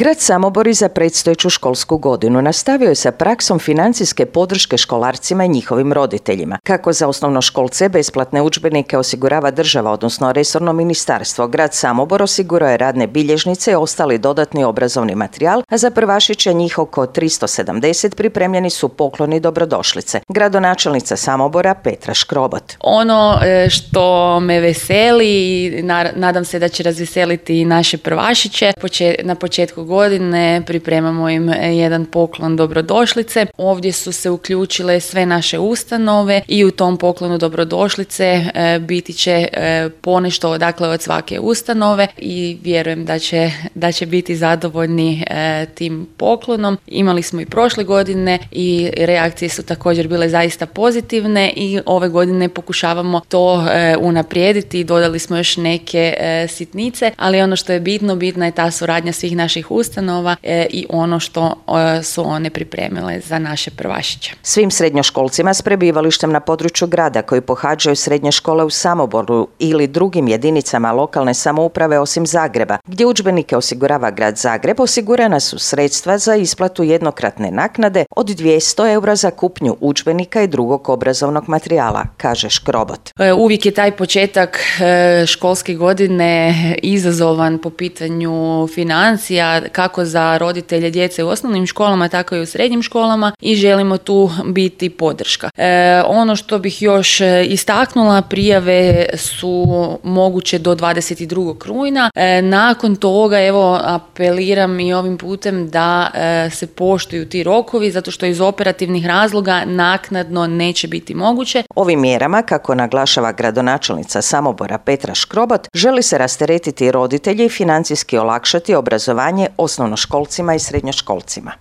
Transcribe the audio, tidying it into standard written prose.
Grad Samobor i za predstojeću školsku godinu nastavio je sa praksom financijske podrške školarcima i njihovim roditeljima. Kako za osnovnoškolce besplatne udžbenike osigurava država, odnosno resorno ministarstvo, grad Samobor osigurao je radne bilježnice i ostali dodatni obrazovni materijal, a za prvašiće njih oko 370 pripremljeni su pokloni dobrodošlice. Gradonačelnica Samobora Petra Škrobot. Ono što me veseli i nadam se da će razveseliti i naše prvašiće, na početku godine pripremamo im jedan poklon dobrodošlice. Ovdje su se uključile sve naše ustanove i u tom poklonu dobrodošlice biti će ponešto od svake ustanove i vjerujem da će biti zadovoljni tim poklonom. Imali smo i prošle godine i reakcije su također bile zaista pozitivne i ove godine pokušavamo to unaprijediti i dodali smo još neke sitnice, ali ono što je bitna je ta suradnja svih naših ustanova i ono što su one pripremile za naše prvašiće. Svim srednjoškolcima s prebivalištem na području grada koji pohađaju srednje škole u Samoboru ili drugim jedinicama lokalne samouprave osim Zagreba, gdje udžbenike osigurava grad Zagreb, osigurana su sredstva za isplatu jednokratne naknade od 200 eura za kupnju udžbenika i drugog obrazovnog materijala, kaže Škrobot. Uvijek je taj početak školske godine izazovan po pitanju financija, kako za roditelje djece u osnovnim školama, tako i u srednjim školama i želimo tu biti podrška. Ono što bih još istaknula, prijave su moguće do 22. rujna. Nakon toga, apeliram i ovim putem da se poštuju ti rokovi, zato što iz operativnih razloga naknadno neće biti moguće. Ovim mjerama, kako naglašava gradonačelnica Samobora Petra Škrobot, želi se rasteretiti roditelji i financijski olakšati obrazovanje osnovnoškolcima i srednjoškolcima.